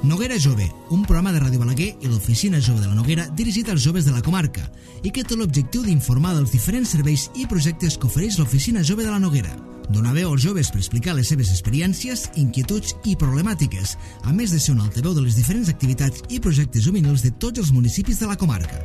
Noguera Jove, un programa de Ràdio Balaguer i l'Oficina Jove de la Noguera dirigit als joves de la comarca i que té l'objectiu d'informar dels diferents serveis i projectes que ofereix l'Oficina Jove de la Noguera. Donar veu als joves per explicar les seves experiències, inquietuds i problemàtiques, a més de ser un altaveu de les diferents activitats i projectes juvenils de tots els municipis de la comarca.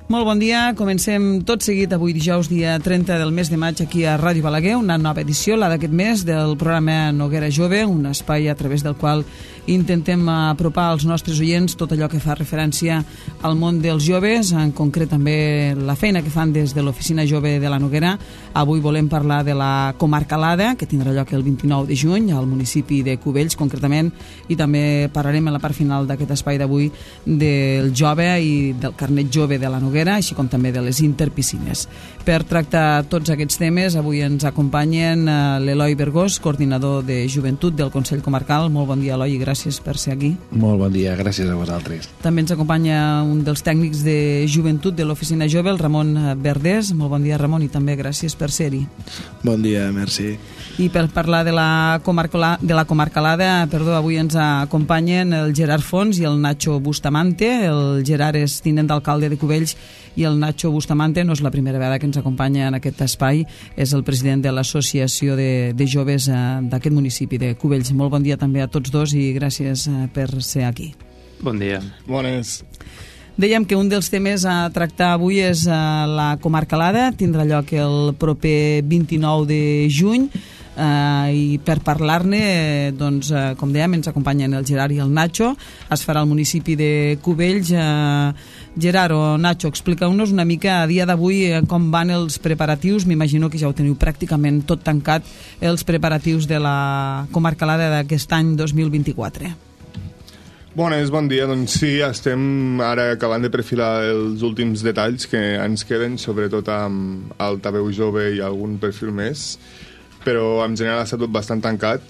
Molt bon dia, comencem tot seguit avui dijous, dia 30 del mes de maig, aquí a Ràdio Balaguer, una nova edició, la d'aquest mes, del programa Noguera Jove, un espai a través del qual intentem apropar als nostres oients tot allò que fa referència al món dels joves, en concret també la feina que fan des de l'Oficina Jove de la Noguera. Avui volem parlar de la comarcalada, que tindrà lloc el 29 de juny al municipi de Cubells, concretament, i també parlarem a la part final d'aquest espai d'avui del jove i del carnet jove de la Noguera, així com també de les interpiscines. Per tractar tots aquests temes, avui ens acompanyen l'Eloi Bergós, coordinador de joventut del Consell Comarcal. Molt bon dia, Eloi, i gràcies per ser aquí. Molt bon dia, gràcies a vosaltres. També ens acompanya un dels tècnics de joventut de l'Oficina Jove, el Ramon Verdés. Molt bon dia, Ramon, i també gràcies per ser-hi. Bon dia, merci. I per parlar de la comarcalada, avui ens acompanyen el Gerard Fons i el Nacho Bustamante. El Gerard és tinent d'alcalde de Cubells i el Nacho Bustamante no és la primera vegada que ens acompanya en aquest espai, és el president de l'Associació de Joves d'aquest municipi de Cubells. Molt bon dia també a tots dos i gràcies per ser aquí. Bon dia. Bones. Dèiem que un dels temes a tractar avui és la comarcalada, tindrà lloc el proper 29 de juny, i per parlar-ne, doncs, com dèiem, ens acompanyen el Gerard i el Nacho. Es farà al municipi de Cubells. Gerard o Nacho, expliqueu-nos una mica a dia d'avui com van els preparatius. M'imagino que ja ho teniu pràcticament tot tancat, els preparatius de la comarcalada d'aquest any 2024. Bones, bon dia. Doncs sí, estem ara acabant de perfilar els últims detalls que ens queden, sobretot amb altaveu jove i algun perfil més, però en general ha estat tot bastant tancat.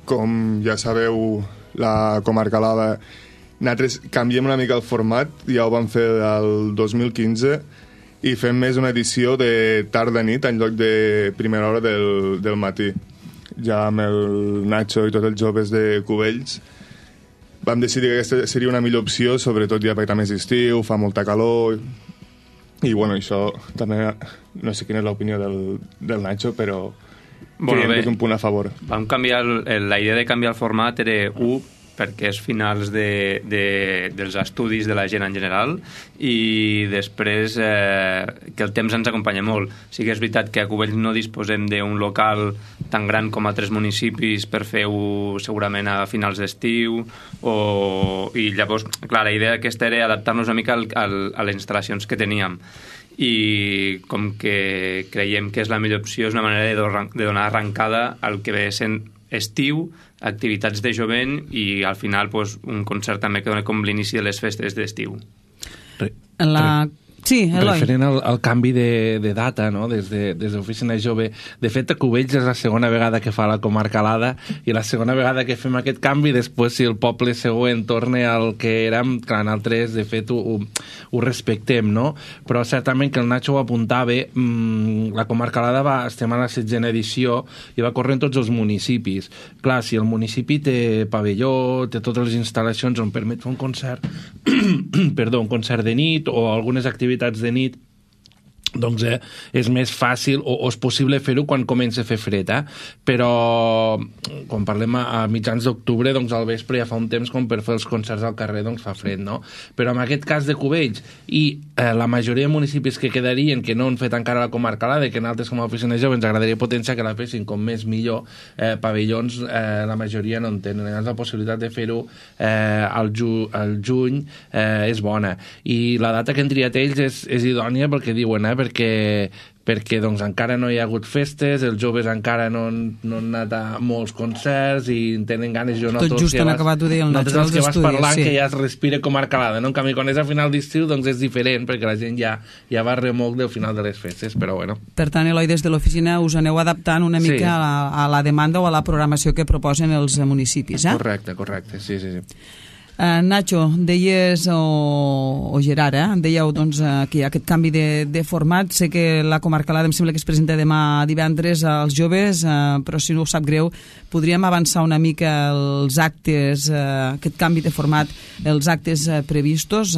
Com ja sabeu, la comarcalada, nosaltres canviem una mica el format, ja ho vam fer el 2015, i fem més una edició de tarda-nit en lloc de primera hora del matí. Ja amb el Nacho i tots els joves de Cubells vam decidir que aquesta seria una millor opció, sobretot ja perquè també és estiu, fa molta calor, i bueno, això també, no sé quina és l'opinió del Nacho, però creiem que és un punt a favor. Vam canviar, la idea de canviar el format era perquè és finals dels estudis de la gent en general, i després que el temps ens acompanya molt. Sí que és veritat que a Cubells no disposem d'un local tan gran com a 3 municipis per fer-ho segurament a finals d'estiu, i llavors, clar, la idea aquesta era adaptar-nos una mica a les instal·lacions que teníem, i com que creiem que és la millor opció, és una manera de donar arrencada al que ve sent estiu, activitats de jovent i al final un concert també que dona com l'inici de les festes d'estiu. Sí, Eloi. Referent al canvi de data, no? des de l'Oficina Jove, de fet a Cubells és la segona vegada que fa la comarcalada i la segona vegada que fem aquest canvi. Després, si el poble següent torna al que érem, clar, nosaltres de fet ho respectem, no? Però certament que el Nacho ho apuntava, la comarcalada estem a la 16a edició i va córrer en tots els municipis. Clar, si el municipi té pavelló, té totes les instal·lacions on permet fer un concert un concert de nit o algunes activitats de nit, doncs és més fàcil o és possible fer-ho quan comença a fer fred, però quan parlem a mitjans d'octubre, doncs al vespre ja fa un temps com per fer els concerts al carrer, doncs fa fred, no? Però en aquest cas de Cubells i la majoria de municipis que quedarien, que no han fet encara la comarcalada i que nosaltres com a Oficina Jove ens agradaria potenciar que la fessin com més millor, pavellons la majoria no en tenen. Llavors la possibilitat de fer-ho al juny és bona, i la data que han triat ells és idònia perquè diuen, perquè doncs encara no hi ha hagut festes, els joves encara no han anat a molts concerts i tenen ganes. Tot just han acabat de dir el Nacho dels estudis. Que vas parlant, sí, que ja es respira comarcalada, no? En canvi, quan és a final d'estiu, doncs és diferent, perquè la gent ja va remolc del final de les festes, però bueno. Per tant, Eloi, des de l'oficina us aneu adaptant una mica a la demanda o a la programació que proposen els municipis, Correcte, sí. Nacho, deies, o Gerard, dèieu doncs, que hi ha aquest canvi de format. Sé que la Comarcalada em sembla que es presenta demà divendres als joves, però si no us sap greu, podríem avançar una mica els actes, aquest canvi de format, els actes previstos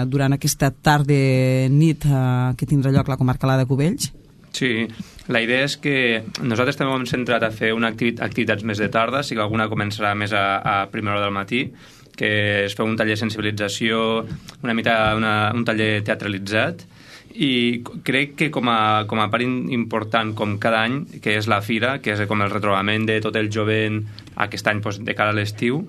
durant aquesta tarda-nit que tindrà lloc la Comarcalada de Cubells? Sí, la idea és que nosaltres també hem centrat a fer activitats més de tarda, sí que alguna començarà més a primera hora del matí, que es fa un taller de sensibilització, un taller teatralitzat, i crec que com a part important com cada any, que és la fira, que és com el retrobament de tot el jovent aquest any de cara a l'estiu,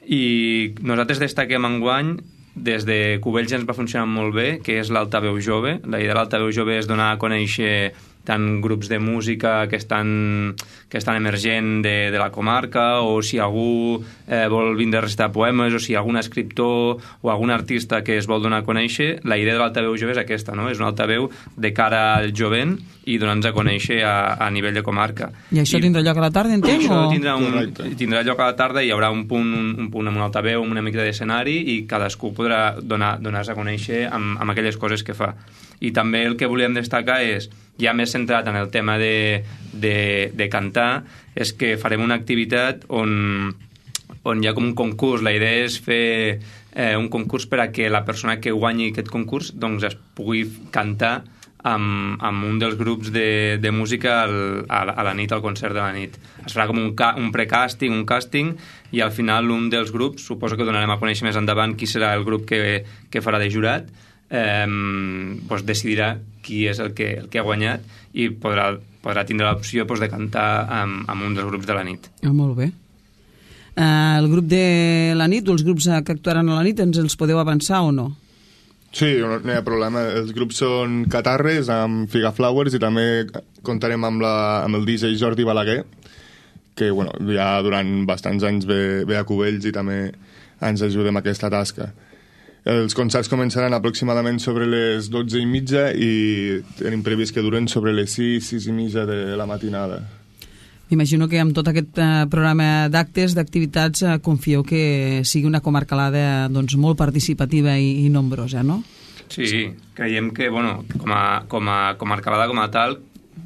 i nosaltres destaquem enguany des de Cubells ens va funcionar molt bé, que és l'altaveu jove. La idea de l'altaveu jove és donar a conèixer tant grups de música que estan emergent de la comarca, o si algú vol vindre a recitar poemes, o si algun escriptor o algun artista que es vol donar a conèixer. La idea de l'altaveu jove és aquesta, no? És un altaveu de cara al jovent i donar-nos a conèixer a nivell de comarca. I això tindrà lloc a la tarda, entenc? Això tindrà lloc a la tarda, i hi haurà un punt amb un altaveu, amb una mica d'escenari, i cadascú podrà donar-se a conèixer amb aquelles coses que fa. I també el que volíem destacar és, ja més centrat en el tema de cantar, és que farem una activitat on hi ha com un concurs. La idea és fer un concurs per a que la persona que guanyi aquest concurs doncs es pugui cantar amb un dels grups de música a la nit, al concert de la nit. Es farà com un precàsting, un càsting, i al final un dels grups, suposo que donarem a conèixer més endavant qui serà el grup que farà de jurat, doncs decidirà qui és el que ha guanyat, i podrà tindre l'opció de cantar amb un dels grups de la nit. Molt bé. El grup de la nit, o els grups que actuaran a la nit, ens els podeu avançar o no? Sí, no hi ha problema. Els grups són Catarres, amb Figaflowers, i també comptarem amb el DJ Jordi Balaguer, que ja durant bastants anys ve a Cubells i també ens ajuda amb aquesta tasca. Els concerts començaran aproximadament sobre les 12:30 i tenim previst que duren sobre les 6:30 de la matinada. M'imagino que amb tot aquest programa d'actes, d'activitats, confieu que sigui una comarcalada molt participativa i nombrosa, no? Sí, creiem que, com a comarcalada com a tal,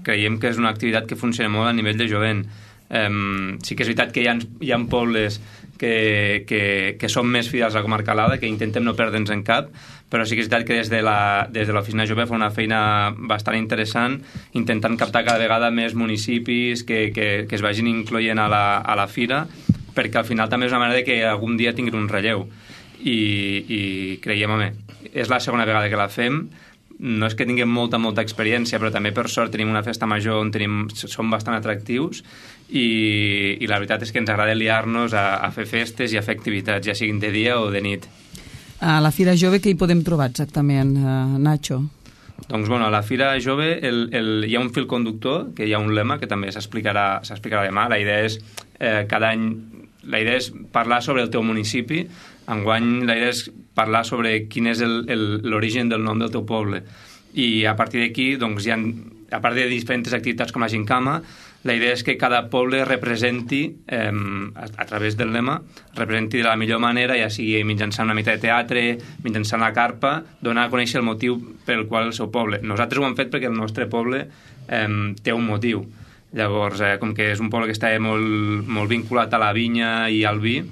creiem que és una activitat que funciona molt a nivell de jovent. Sí que és veritat que hi ha pobles que són més fidels a la comarcalada, que intentem no perdre'ns en cap, però sí que és veritat que des de l'Oficina Jove fa una feina bastant interessant, intentant captar cada vegada més municipis que es vagin incloent a la fira, perquè al final també és una manera que algun dia tinguin un relleu. I creiem, és la segona vegada que la fem. No és que tinguem molta experiència, però també per sort tenim una festa major on som bastant atractius, i la veritat és que ens agrada liar-nos a fer festes i a fer activitats, ja siguin de dia o de nit. A la Fira Jove què hi podem trobar exactament, Nacho? Doncs a la Fira Jove hi ha un fil conductor, que hi ha un lema que també s'explicarà demà. La idea és cada any parlar sobre el teu municipi. Enguany la idea és parlar sobre quin és l'origen del nom del teu poble, i a partir d'aquí a part de diferents activitats com la gincama, la idea és que cada poble representi, a través del lema, representi de la millor manera, ja sigui mitjançant una mica de teatre, mitjançant la carpa, donar a conèixer el motiu pel qual el seu poble. Nosaltres ho hem fet perquè el nostre poble té un motiu. Llavors, com que és un poble que està molt vinculat a la vinya i al vi,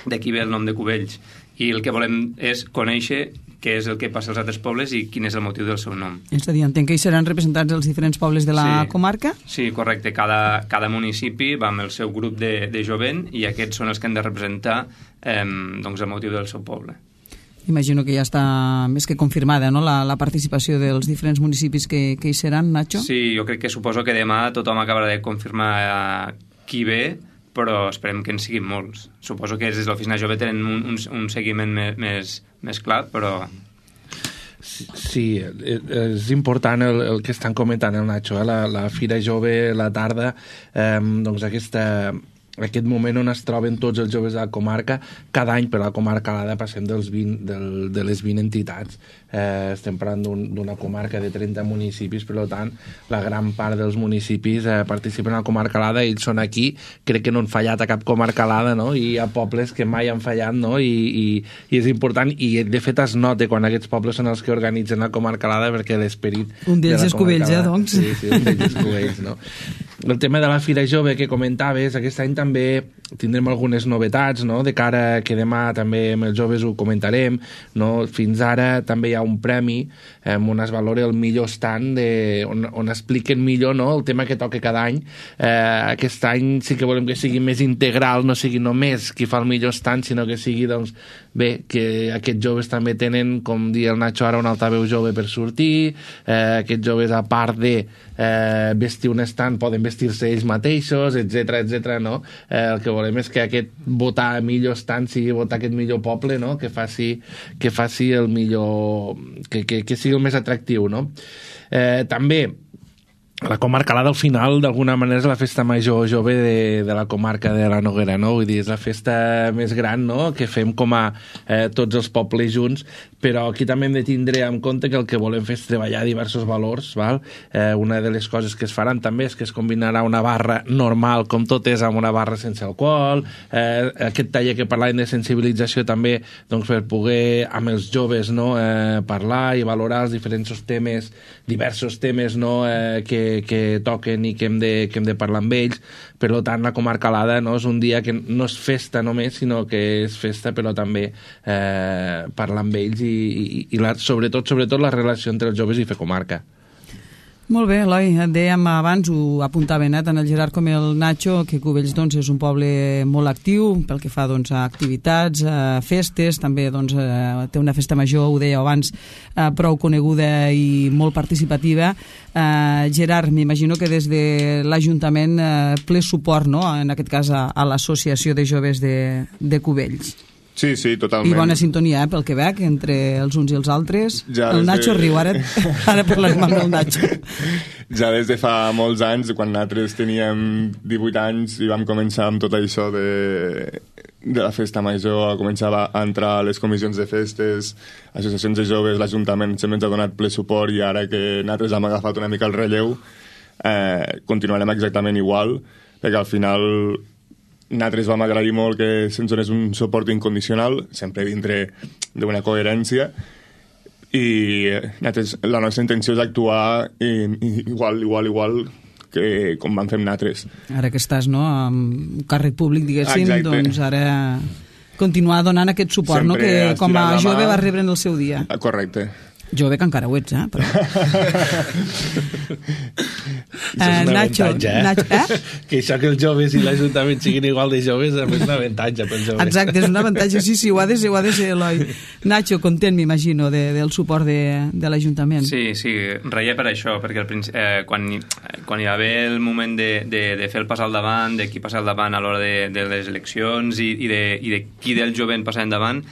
d'aquí ve el nom de Cubells. I el que volem és conèixer què és el que passa als altres pobles i quin és el motiu del seu nom. És a dir, entenc que hi seran representats els diferents pobles de la comarca? Sí, correcte. Cada municipi va amb el seu grup de jovent, i aquests són els que han de representar el motiu del seu poble. Imagino que ja està més que confirmada, no?, la participació dels diferents municipis que hi seran, Nacho? Sí, jo crec que suposo que demà tothom acabarà de confirmar qui ve, però esperem que en siguin molts. Suposo que des de l'Oficina Jove tenen un seguiment més clar, però... Sí, és important el que estan comentant el Nacho, la Fira Jove, la tarda, doncs aquesta aquest moment on es troben tots els joves de la comarca. Cada any per la comarca Alada passem de les 20 entitats. Estem parlant d'una comarca de 30 municipis, per tant la gran part dels municipis participen a la comarca Alada, ells són aquí, crec que no han fallat a cap comarca Alada, no? I hi ha pobles que mai han fallat, no? I és important, i de fet es nota quan aquests pobles són els que organitzen la comarca Alada, perquè l'esperit un d'ells és Cubells, doncs. Sí, un d'ells és Cubells, no? El tema de la Fira Jove que comentaves, aquest any també tindrem algunes novetats, no? De cara que demà també amb els joves ho comentarem, no? Fins ara també hi ha un premi on es valora el millor stand on expliquen millor, no? El tema que toca cada any. Aquest any sí que volem que sigui més integral, no sigui només qui fa el millor stand, sinó que sigui, doncs, bé, que aquests joves també tenen, com dia el Nacho ara, un altaveu jove per sortir, aquests joves, a part de vestir un stand, poden vestir-se ells mateixos, etc, no? El que volem és que aquest votar millor stand sigui votar aquest millor poble, no? Que faci el millor, que sigui el més atractiu, no? També la comarca Alada al final d'alguna manera és la festa major jove de la comarca de la Noguera, no? Vull dir, és la festa més gran, no? Que fem com a tots els pobles junts, però aquí també hem de tindre en compte que el que volem fer és treballar diversos valors, val? Una de les coses que es faran també és que es combinarà una barra normal, com tot és, amb una barra sense alcohol, aquest taller que parlàvem de sensibilització també, doncs, per poder amb els joves, no? Parlar i valorar els diferents temes, diversos temes, no? Que toquen i que hem de parlar amb ells. Per tant, la comarca Alada, no? És un dia que no és festa només, sinó que és festa, però també parlar amb ells i sobretot la relació entre els joves i fer comarca. Molt bé, Eloi, et dèiem abans, ho apuntaven tant el Gerard com el Nacho, que Cubells, doncs, és un poble molt actiu pel que fa, doncs, a activitats, a festes, també, doncs, té una festa major, ho dèieu abans, prou coneguda i molt participativa. Gerard, m'imagino que des de l'Ajuntament ple suport, no?, en aquest cas a l'associació de joves de Cubells. Sí, totalment. I bona sintonia, pel que veig, entre els uns i els altres. Ja el Nacho riu, ara parlarem amb el Nacho. Ja des de fa molts anys, quan nosaltres teníem 18 anys i vam començar amb tot això de la festa major, a començar a entrar a les comissions de festes, associacions de joves, l'Ajuntament sempre ens ha donat ple suport, i ara que nosaltres hem agafat una mica el relleu, continuarem exactament igual, perquè al final nosaltres vam agrair molt que se'ns donés un suport incondicional, sempre dintre d'una coherència, i la nostra intenció és actuar igual que com vam fer amb nosaltres. Ara que estàs, no?, amb un càrrec públic, diguéssim, doncs ara continuar donant aquest suport, no?, que com a jove va rebre en el seu dia. Correcte. Jove que encara ho ets, però... és un avantatge, Nacho, que això que els joves i l'Ajuntament siguin igual de joves és un avantatge pels joves. Exacte, és un avantatge, sí, ho ha de ser, Eloi. Nacho, content, m'imagino, del suport de l'Ajuntament. Sí, reia per això, perquè quan hi va haver el moment de fer el pas al davant, de qui passa al davant a l'hora de les eleccions i de qui del jovent passa endavant,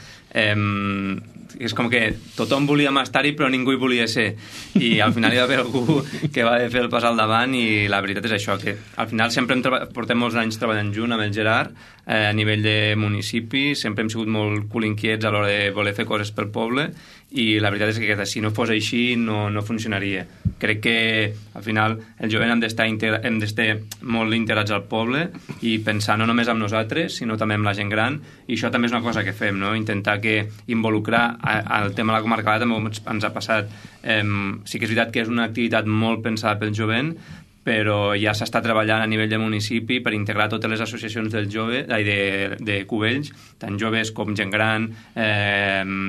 és com que tothom volia estar-hi però ningú hi volia ser, i al final hi va haver algú que va fer el pas al davant, i la veritat és això, que al final sempre portem molts anys treballant junt amb el Gerard a nivell de municipi, sempre hem sigut molt culinquiets a l'hora de voler fer coses pel poble, i la veritat és que si no fos així no funcionaria. Crec que al final el jovent hem d'estar molt integrats al poble i pensar no només amb nosaltres sinó també amb la gent gran, i això també és una cosa que fem, no? Intentar que involucrar el tema de la comarca també ens ha passat. Sí que és veritat que és una activitat molt pensada pel jovent, però ja s'està treballant a nivell de municipi per integrar totes les associacions de Cubells, tant joves com gent gran,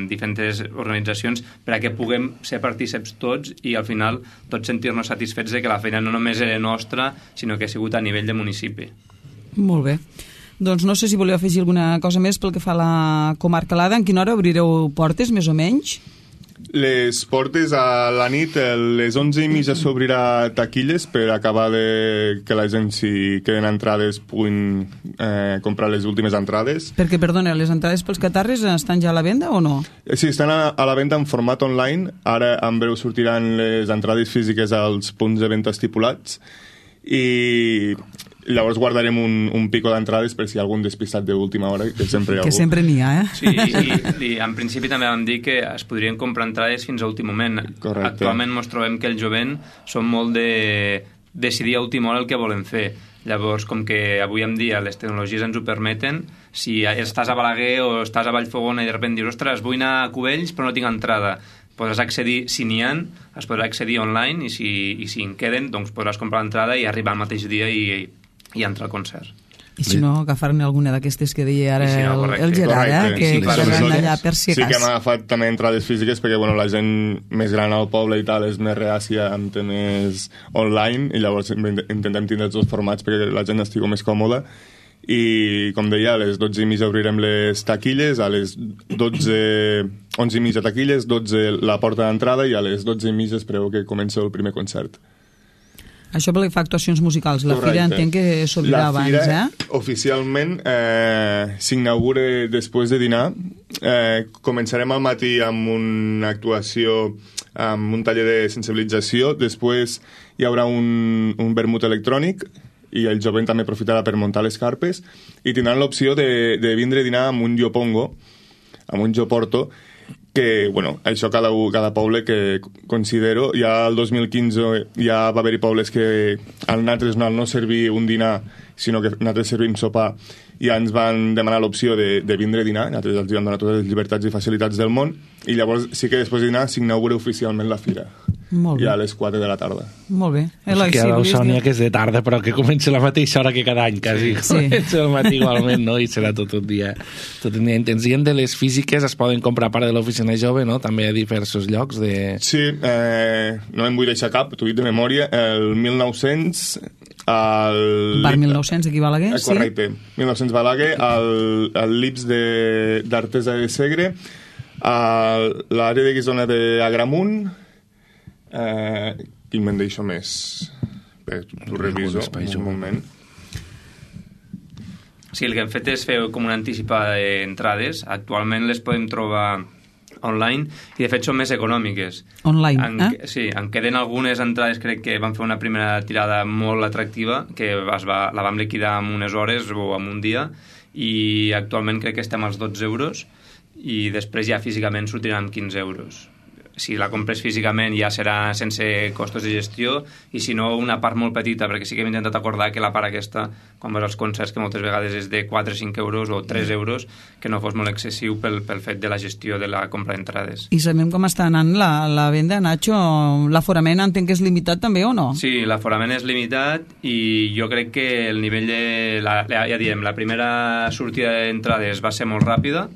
diferents organitzacions, perquè puguem ser partíceps tots i al final tots sentir-nos satisfets de que la feina no només era nostra, sinó que ha sigut a nivell de municipi. Molt bé. Doncs no sé si voleu afegir alguna cosa més pel que fa a la comarca Alada. En quina hora obrireu portes, més o menys? Les portes a la nit, a les 11:30 s'obrirà taquilles per acabar que la gent, si queden entrades, puguin comprar les últimes entrades. Perquè, perdona, les entrades pels catarres estan ja a la venda o no? Sí, estan a la venda en format online. Ara en breu sortiran les entrades físiques als punts de venda estipulats. I Llavors guardarem un pico d'entrades per si hi ha algun despistat d'última hora, que sempre hi ha que algú. sempre n'hi ha, Sí, i en principi també vam dir que es podrien comprar entrades fins a últim moment. Correcte. Actualment ens trobem que el jovent són molt de decidir a última hora el que volen fer. Llavors, com que avui en dia les tecnologies ens ho permeten, si estàs a Balaguer o estàs a Vallfogona i de sobte dius, ostres, vull anar a Cubells però no tinc entrada, podràs accedir, si n'hi ha, es podrà accedir online i si en queden, doncs podràs comprar l'entrada i arribar al mateix dia i entrar al concert. I si no, agafar-ne alguna d'aquestes que deia ara si no, el Gerard, que quedaran allà per si Sí que hem cas. agafat també entrades físiques perquè la gent més gran al poble i tal és més reàcia amb temes online i llavors intentem tindre els dos formats perquè la gent estigui més còmoda i com deia, a les 12:30 obrirem les taquilles, a les 11:30 taquilles, 12 la porta d'entrada i a les 12:30 es preveu que comença el primer concert. Això pel que fa a actuacions musicals. La fira entenc que s'obrirà abans, La fira, oficialment, s'inaugura després de dinar. Començarem al matí amb una actuació, amb un taller de sensibilització. Després hi haurà un vermut electrònic i el jovent també aprofitarà per muntar les carpes i tindran l'opció de vindre a dinar amb un jopongo, amb un joporto, que, això cada poble que considero, ja el 2015 ja va haver-hi pobles que al nosaltres no servir un dinar, sinó que nosaltres servim sopar, i ja ens van demanar l'opció de vindre a dinar, nosaltres els vam donar totes les llibertats i facilitats del món, i llavors sí que després de dinar s'inaugura oficialment la fira. Molt bé. Ja a les 4 de la tarda. Molt bé. Eloi, que ara Sònia que és de tarda, però que comença la mateixa hora que cada any, quasi. Sí. Comença el matí igualment, no? I serà tot un dia intens. I de les físiques es poden comprar a part de l'oficina jove, no? També a diversos llocs de... Sí, no em vull deixar cap, t'ho dic de memòria, el 1900... Bar 1900 aquí a Balaguer, sí? Correcte, 1900 Balaguer, el Lips d'Artesa de Segre, l'àrea de Guisona d'Agramunt, quin me'n deixo més? Bé, t'ho reviso un moment. Sí, el que hem fet és fer com una anticipada d'entrades. Actualment les podem trobar online i de fet són més econòmiques. Online, Sí, en queden algunes entrades, crec que van fer una primera tirada molt atractiva, que la vam liquidar en unes hores o en un dia, i actualment crec que estem als 12 euros i després ja físicament sortiran 15 euros. Si la compres físicament ja serà sense costos de gestió i si no una part molt petita, perquè sí que hem intentat acordar que la part aquesta, quan vas als concerts, que moltes vegades és de 4 o 5 euros o 3 euros, que no fos molt excessiu pel fet de la gestió de la compra d'entrades. I sabem com està anant la venda, Nacho? L'aforament entenc que és limitat també o no? Sí, l'aforament és limitat i jo crec que el nivell de... ja diem, la primera sortida d'entrades va ser molt ràpida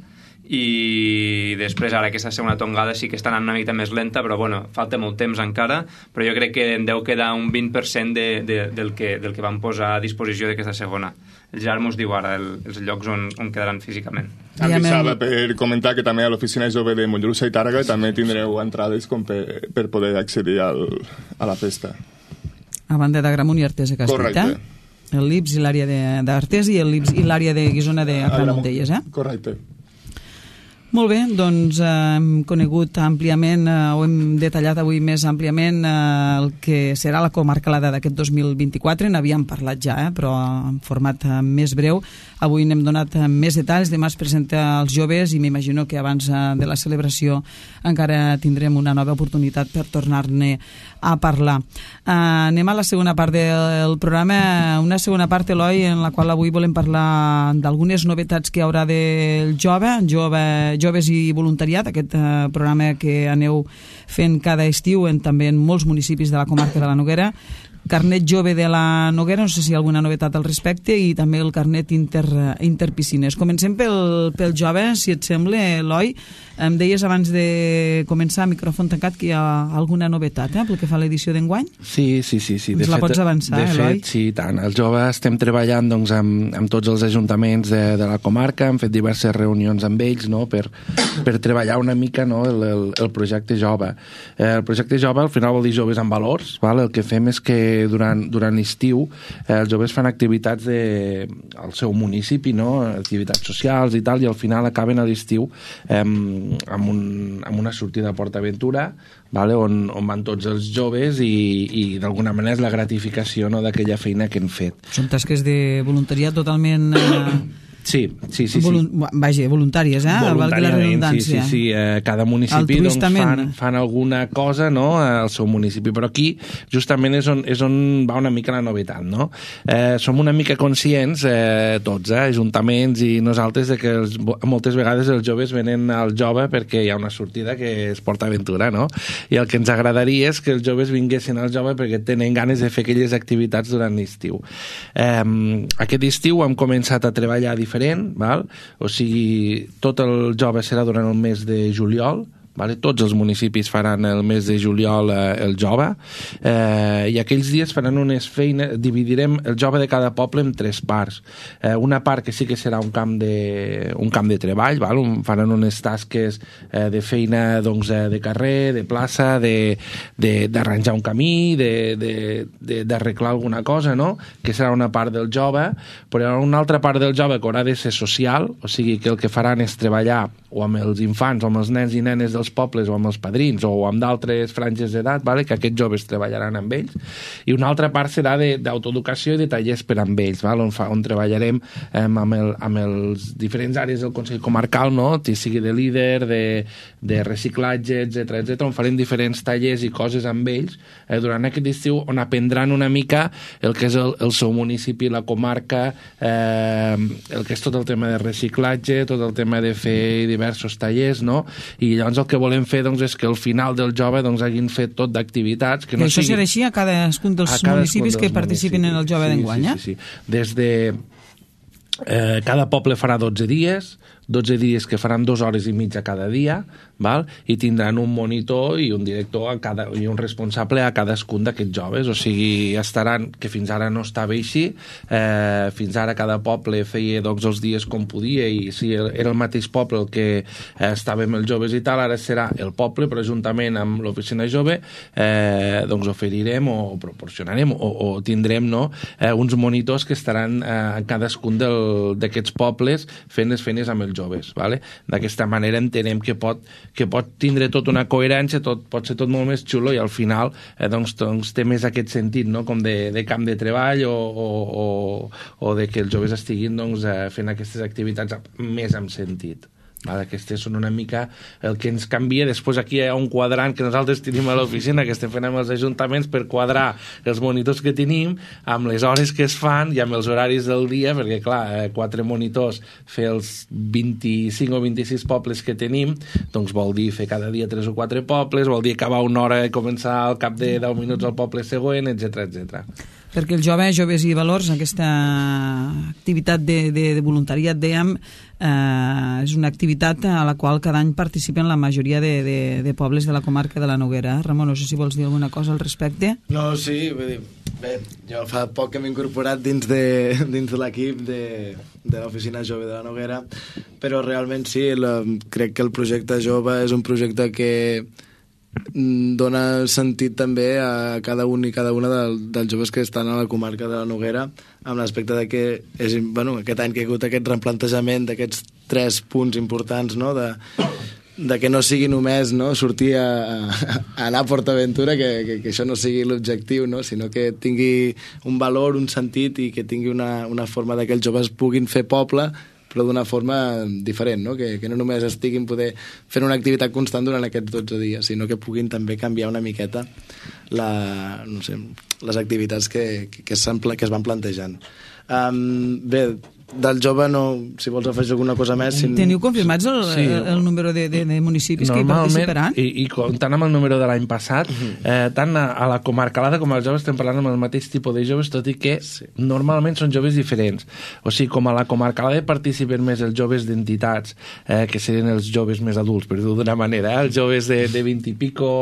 i després ara aquesta segona tongada sí que està anant una mica més lenta, però falta molt temps encara, però jo crec que en deu quedar un 20% del que vam posar a disposició d'aquesta segona. El Gerard mos diu ara els llocs on quedaran físicament. Avisava per comentar que també a l'oficina jove de Mollerussa i Tàrrega també tindreu entrades com per poder accedir a la festa. A banda d'Agramunt i Artesa, que has dit, el Lips i l'àrea d'Artesa i el Lips i l'àrea de Guisona d'Agramunt, Correcte. Molt bé, doncs hem conegut àmpliament o hem detallat avui més àmpliament el que serà la comarcalada d'aquest 2024. N'havíem parlat ja, però en format més breu. Avui n'hem donat més detalls. Demà es presenta als joves i m'imagino que abans de la celebració encara tindrem una nova oportunitat per tornar-ne a parlar. Anem a la segona part del programa, una segona part, Eloi, en la qual avui volem parlar d'algunes novetats que hi haurà del Joves i Voluntariat, aquest programa que aneu fent cada estiu també en molts municipis de la comarca de la Noguera. Carnet jove de la Noguera, no sé si hi ha alguna novetat al respecte, i també el carnet interpiscines. Comencem pel jove, si et sembla, Eloi. Em deies abans de començar, micròfon tancat, que hi ha alguna novetat pel que fa a l'edició d'enguany? Sí. Ens la pots avançar, Eloi? De fet, sí, tant. Els joves estem treballant amb tots els ajuntaments de la comarca, hem fet diverses reunions amb ells per treballar una mica el projecte jove. El projecte jove al final vol dir joves amb valors. El que fem és que que durant l'estiu els joves fan activitats al seu municipi, no? Activitats socials i tal, i al final acaben a l'estiu amb una sortida a PortAventura, vale? on van tots els joves i d'alguna manera és la gratificació, no? D'aquella feina que hem fet. Són tasques de voluntariat totalment... Sí. Vaja, voluntàries, valgui la redundància. Sí. Cada municipi fan alguna cosa, no? Al seu municipi, però aquí justament és on va una mica la novetat, no? Som una mica conscients, tots, ajuntaments i nosaltres, de que moltes vegades els joves venen al jove perquè hi ha una sortida que és PortAventura, no? I el que ens agradaria és que els joves vinguessin al jove perquè tenen ganes de fer aquelles activitats durant l'estiu. Aquest estiu hem començat a treballar diferent, val? O sigui, tot el jove serà durant el mes de juliol, vale? Tots els municipis faran el mes de juliol el jove, i aquells dies faran unes feines, dividirem el jove de cada poble en 3 parts. Una part que sí que serà un camp de treball, val? Faran unes tasques de feina, doncs, de carrer, de plaça, d'arranjar un camí, d'arreglar alguna cosa, no? Que serà una part del jove, però hi ha una altra part del jove que haurà de ser social, o sigui que el que faran és treballar o amb els infants o amb els nens i nenes dels pobles o amb els padrins o amb d'altres franges d'edat, vale? Que aquests joves treballaran amb ells, i una altra part serà d'autoeducació i de tallers per amb ells, vale? On treballarem amb els diferents àrees del Consell Comarcal, no? Sigui de líder, de reciclatge, etc, on farem diferents tallers i coses amb ells durant aquest estiu, on aprendran una mica el que és el seu municipi, la comarca, el que és tot el tema de reciclatge, tot el tema de fer diversos tallers, no? I llavors el que volem fer, doncs, és que al final del jove, doncs, hagin fet tot d'activitats que no això serà així a cadascun dels municipis que participin en el jove d'enguany, sí. Des de cada poble farà 12 dies que faran 2 hores i mitja cada dia, val? I tindran un monitor i un director i un responsable a cadascun d'aquests joves, o sigui, estaran, que fins ara no estava així, fins ara cada poble feia, doncs, els dies com podia, i si era el mateix poble el que estàvem els joves i tal, ara serà el poble, però juntament amb l'oficina jove doncs oferirem o proporcionarem o tindrem, no? Uns monitors que estaran a cadascun d'aquests pobles fent les feines amb els joves, vale? D'aquesta manera entenem que pot tindre tot una coherència, pot ser tot molt més xulo, i al final doncs té més aquest sentit, no? Com de camp de treball o de que els joves estiguin, doncs, fent aquestes activitats més amb sentit. Aquestes són una mica el que ens canvia. Després aquí hi ha un quadrant que nosaltres tenim a l'oficina, que estem fent amb els ajuntaments per quadrar els monitors que tenim amb les hores que es fan i amb els horaris del dia, perquè clar, 4 monitors fer els 25 o 26 pobles que tenim, doncs vol dir fer cada dia 3 o 4 pobles, vol dir acabar una hora i començar al cap de 10 minuts al poble següent, etc. Perquè el joves i valors, aquesta activitat de voluntariat, dèiem, és una activitat a la qual cada any participen la majoria de pobles de la comarca de la Noguera. Ramon, no sé si vols dir alguna cosa al respecte. No, sí, vull dir, bé, jo fa poc que m'he incorporat dins de l'equip de l'oficina jove de la Noguera, però realment sí, crec que el projecte jove és un projecte que dona sentit també a cada un i cada una dels joves que estan a la comarca de la Noguera, amb l'aspecte de que aquest any que hi ha hagut aquest replantejament d'aquests 3 punts importants, no? De que no sigui només, no? Sortir a anar a PortAventura, que això no sigui l'objectiu, no? Sinó que tingui un valor, un sentit, i que tingui una forma de que els joves puguin fer poble, però d'una forma diferent, no? Que no només estiguin fent una activitat constant durant aquests 12 dies, sinó que puguin també canviar una miqueta les activitats que es van plantejant. Bé, del jove, si vols afegir alguna cosa més... Teniu confirmats el número de municipis que hi participaran? I comptant amb el número de l'any passat, tant a la comarcalada com als joves estem parlant amb el mateix tipus de joves, tot i que normalment són joves diferents. O sigui, com a la comarcalada participen més els joves d'entitats, que serien els joves més adults, per dir-ho d'una manera, els joves de 20 i pico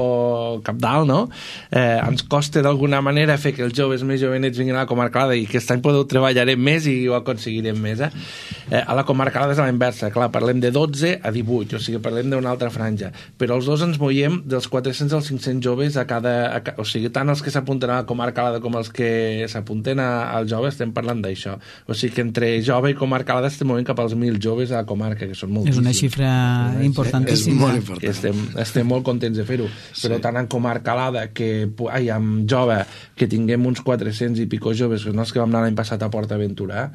cap dalt, no? Ens costa d'alguna manera fer que els joves més jovenets vinguin a la comarcalada, i aquest any treballarem més i ho aconseguirem en mesa. A la comarca Alada és a la inversa, clar, parlem de 12 a 18, o sigui, parlem d'una altra franja, però els dos ens moiem dels 400 als 500 joves o sigui, tant els que s'apunten a la comarca Alada com els que s'apunten al jove, estem parlant d'això. O sigui que entre jove i comarca Alada estem movent cap als 1.000 joves a la comarca, que són moltíssims. És una xifra importantíssima. És molt important. Estem molt contents de fer-ho, però tant en comarca Alada amb jove, que tinguem uns 400 i pico joves, que són els que vam anar l'any passat a Port Aventura,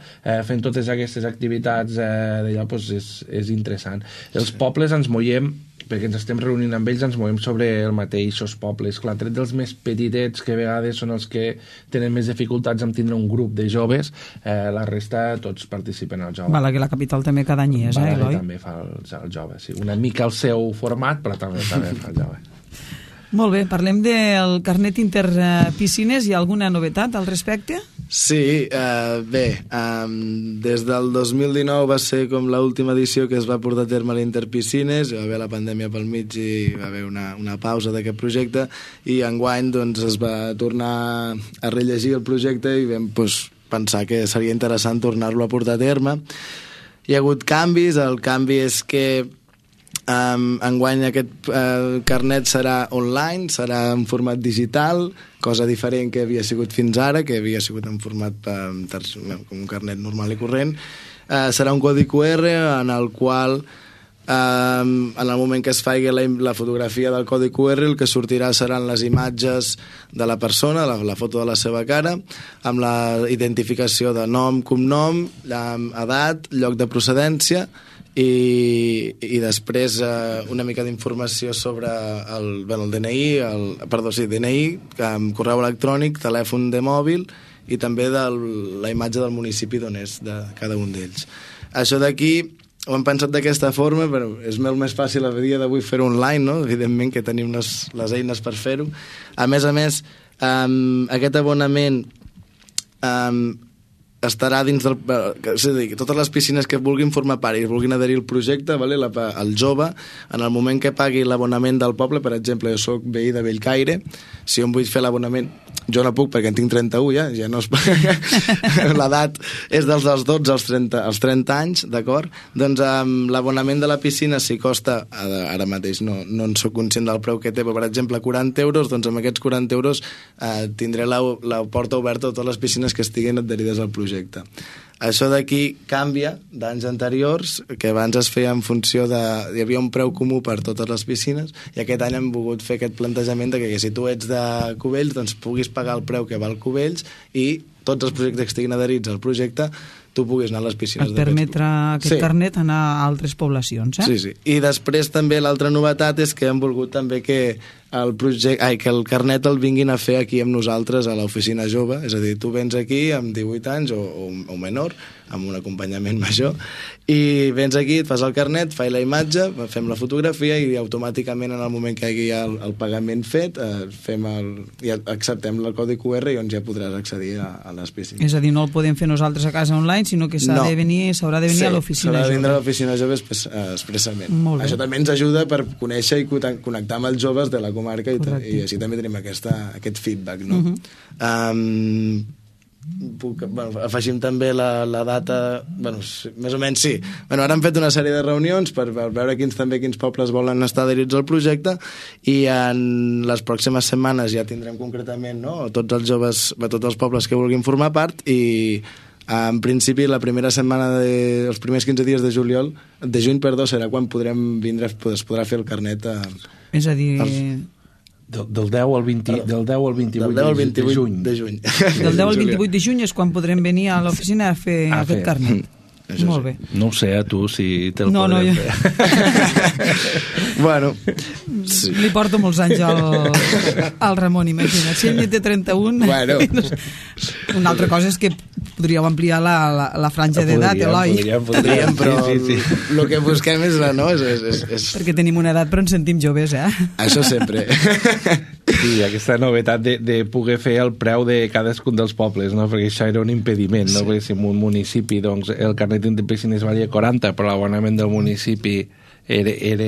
fent totes aquestes activitats d'allà, doncs és interessant. Els pobles ens movem, perquè ens estem reunint amb ells, ens movem sobre el mateixos pobles. Clar, tret dels més petitets, que a vegades són els que tenen més dificultats en tindre un grup de joves, la resta tots participen al jove. Balaguer, la capital, també cada any és, Eloi? Balaguer també fa el jove, sí. Una mica el seu format, però també fa el jove. Molt bé, parlem del carnet interpiscines. Hi ha alguna novetat al respecte? Sí, bé, des del 2019 va ser com l'última edició que es va portar a terme a l'Interpiscines, va haver la pandèmia pel mig i va haver una pausa d'aquest projecte, i enguany doncs, es va tornar a rellegir el projecte i vam pensar que seria interessant tornar-lo a portar a terme. Hi ha hagut canvis, el canvi és que enguany aquest carnet serà online, serà en format digital, cosa diferent que havia sigut fins ara, que havia sigut en format com un carnet normal i corrent. Serà un codi QR en el qual en el moment que es faci la fotografia del codi QR, el que sortirà seran les imatges de la persona, la foto de la seva cara, amb la identificació de nom, cognom, edat, lloc de procedència, i després una mica d'informació sobre el DNI, DNI, correu electrònic, telèfon de mòbil i també la imatge del municipi d'on és de cada un d'ells. Això d'aquí ho hem pensat d'aquesta forma, però és molt més fàcil a dia d'avui fer-ho online, no? Evidentment que tenim les eines per fer-ho. A més, aquest abonament estarà dins del... És a dir, totes les piscines que vulguin formar part i vulguin adherir al projecte, el jove, en el moment que pagui l'abonament del poble, per exemple, jo soc veí de Bellcaire, si jo em vull fer l'abonament, jo no puc perquè en tinc 31, ja no es... l'edat és dels 12 als 30 anys, d'acord? Doncs l'abonament de la piscina, si costa, ara mateix no en soc conscient del preu que té, però per exemple 40 euros, doncs amb aquests 40 euros tindré la porta oberta a totes les piscines que estiguin adherides al projecte. Això d'aquí canvia d'anys anteriors, que abans es feia en funció de... Hi havia un preu comú per totes les piscines, i aquest any hem volgut fer aquest plantejament de que si tu ets de Cubells, doncs puguis pagar el preu que val Cubells i tots els projectes que estiguin adherits al projecte tu puguis anar a les piscines. Et permetre aquest carnet anar a altres poblacions, Sí. I després també l'altra novetat és que hem volgut també que el carnet el vinguin a fer aquí amb nosaltres a l'oficina jove, és a dir, tu vens aquí amb 18 anys o menor, amb un acompanyament major, i vens aquí, et fas el carnet, fas la imatge, fem la fotografia i automàticament en el moment que hi hagi el pagament fet i acceptem el codi QR i on ja podràs accedir a les piscines. És a dir, no el podem fer nosaltres a casa online, sinó que s'haurà de venir a l'oficina jove. S'haurà de vindre a l'oficina jove expressament. Això també ens ajuda per conèixer i connectar amb els joves de la comarca i així també tenim aquest feedback, no? Afegim també la data, més o menys sí. Ara hem fet una sèrie de reunions per veure quins pobles volen estar adherits al projecte, i en les pròximes setmanes ja tindrem concretament tots els joves, tots els pobles que vulguin formar part, i en principi la primera setmana els primers 15 dies de juny serà quan podrem vindre, es podrà fer el carnet és a dir... Del 10 al 28 de juny. Del 10 al 28 de juny és quan podrem venir a l'oficina a fer aquest carnet. Molt bé. No ho sé, a tu, si te'l podrem fer. Bueno... Li porto molts anys al Ramon, imagina't. Si ell té 31... Una altra cosa és que podríeu ampliar la franja d'edat, Eloi. Podríem, però el que busquem és perquè tenim una edat però ens sentim joves, Això sempre. Sí, aquesta novetat de poder fer el preu de cadascun dels pobles, no? Perquè això era un impediment, no? Perquè si en un municipi el carnet de piscines valia 40, però l'abonament del municipi era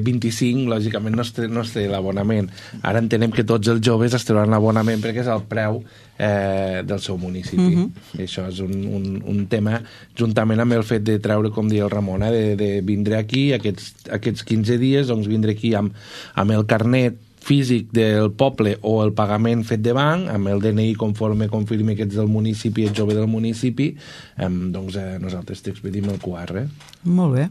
25, lògicament no es té l'abonament. Ara entenem que tots els joves es trauran l'abonament perquè és el preu del seu municipi. I això és un tema, juntament amb el fet de treure, com deia el Ramon, de vindre aquí aquests 15 dies, doncs vindre aquí amb el carnet físic del poble o el pagament fet de banc, amb el DNI conforme confirmi que ets del municipi, ets jove del municipi, doncs nosaltres t'expedim el QR. Molt bé.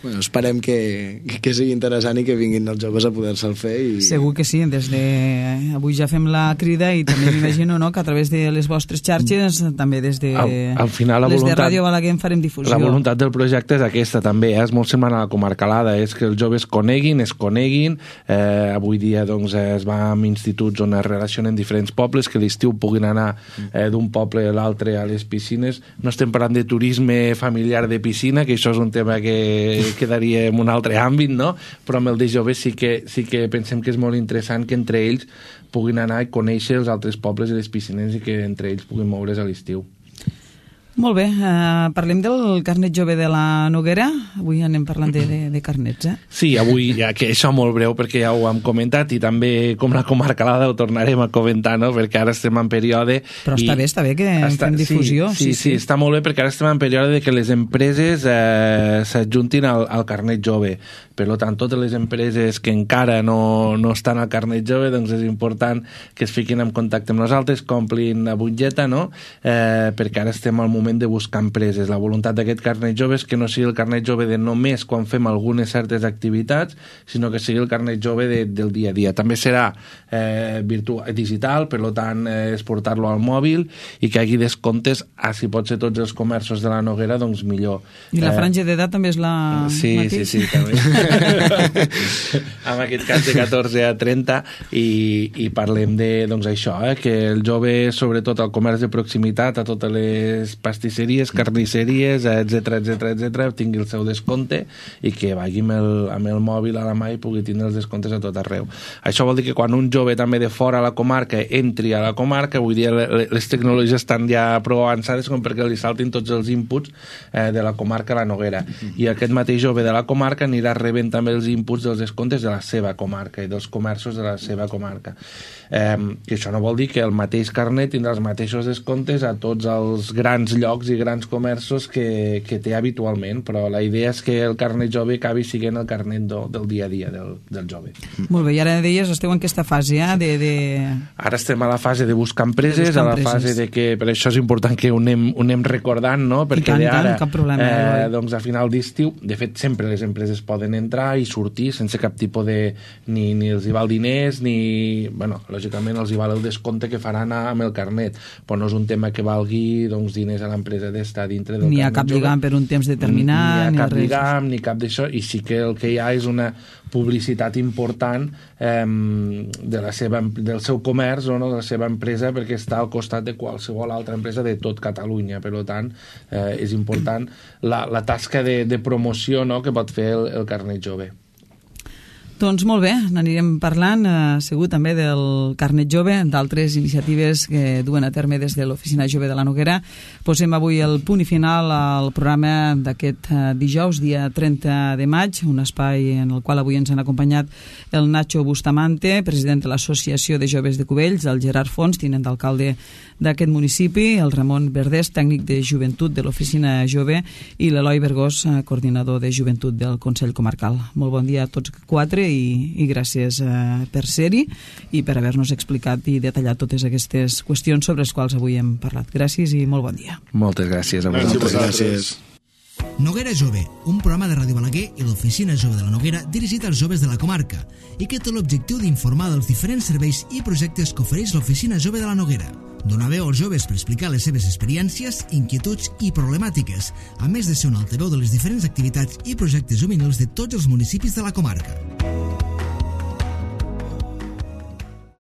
Bueno, esperem que sigui interessant i que vinguin els joves a poder-se'l fer. Segur que sí, avui ja fem la crida i també m'imagino que a través de les vostres xarxes, també des de al final, les de Ràdio Balaguer en farem difusió. La voluntat del projecte és aquesta també, és molt semblant a la comarcalada, és que els joves es coneguin, avui dia doncs, es va a instituts on es relacionen diferents pobles, que l'estiu puguin anar d'un poble a l'altre a les piscines. No estem parlant de turisme familiar de piscina, que això és un tema que quedaria en un altre àmbit, no? Però amb el de joves sí que pensem que és molt interessant que entre ells puguin anar i conèixer els altres pobles i les piscines i que entre ells puguin moure's a l'estiu. Molt bé, parlem del carnet jove de la Noguera. Avui anem parlant de carnets, Sí, avui, ja que això molt breu perquè ja ho hem comentat i també com la comarcalada ho tornarem a comentar, no? Perquè ara estem en període... Però està bé que fem difusió. Sí, està molt bé perquè ara estem en període de que les empreses s'adjuntin al carnet jove. Per tant, totes les empreses que encara no estan al carnet jove, doncs és important que es fiquin en contacte amb nosaltres, complin la butlleta, no? Perquè ara estem al moment de buscar empreses. La voluntat d'aquest carnet jove és que no sigui el carnet jove de només quan fem algunes certes activitats, sinó que sigui el carnet jove del dia a dia. També serà digital, per tant, exportar-lo al mòbil i que hi hagi descomptes, si pot ser tots els comerços de la Noguera, doncs millor. I la franja d'edat també és la mateixa? Sí, també. En aquest cas de 14 a 30 i parlem de, doncs això, que el jove, sobretot al comerç de proximitat, a totes les pastisseries, carnisseries, etc, tingui el seu descompte i que vagi amb el mòbil a la mà i pugui tindre els descomptes a tot arreu. Això vol dir que quan un jove també de fora a la comarca entri a la comarca, avui dia les tecnologies estan ja prou avançades com perquè li saltin tots els inputs de la comarca a la Noguera. I aquest mateix jove de la comarca anirà rebent també els inputs dels descomptes de la seva comarca i dels comerços de la seva comarca. Que això no vol dir que el mateix carnet tindrà els mateixos descomptes a tots els grans llocs i grans comerços que té habitualment, però la idea és que el carnet jove acabi sent el carnet del dia a dia del jove. Molt bé, i ara deies, esteu en aquesta fase, Ara estem a la fase de buscar empreses, a la fase de que, per això és important que ho anem recordant, no? Perquè d'ara, doncs a final d'estiu, de fet sempre les empreses poden entrar i sortir sense cap tipus de... ni els hi val diners, ni... bueno, lògicament els hi val el descompte que faran amb el carnet, però no és un tema que valgui doncs, diners a l'empresa d'estar dintre del carnet jove. Ni a cap lligam per un temps determinat, ni a cap lligam, ni cap d'això, i sí que el que hi ha és una publicitat important del seu comerç o no, de la seva empresa, perquè està al costat de qualsevol altra empresa de tot Catalunya. Per tant, és important la tasca de promoció, no?, que pot fer el carnet jove. Doncs molt bé, n'anirem parlant segur també del carnet jove, d'altres iniciatives que duen a terme des de l'Oficina Jove de la Noguera. Posem avui el punt i final al programa d'aquest dijous, dia 30 de maig, un espai en el qual avui ens han acompanyat el Nacho Bustamante, president de l'Associació de Joves de Cubells, el Gerard Fons, tinent d'alcalde d'aquest municipi, el Ramon Verdés, tècnic de joventut de l'Oficina Jove, i l'Eloi Bergós, coordinador de joventut del Consell Comarcal. Molt bon dia a tots quatre i gràcies per ser-hi i per haver-nos explicat i detallat totes aquestes qüestions sobre les quals avui hem parlat. Gràcies i molt bon dia. Moltes gràcies a vosaltres. Gràcies. Noguera Jove, un programa de Ràdio Balaguer i l'Oficina Jove de la Noguera dirigit als joves de la comarca i que té l'objectiu d'informar dels diferents serveis i projectes que ofereix l'Oficina Jove de la Noguera. Donar veu als joves per explicar les seves experiències, inquietuds i problemàtiques, a més de ser un altaveu de les diferents activitats i projectes juvenils de tots els municipis de la comarca.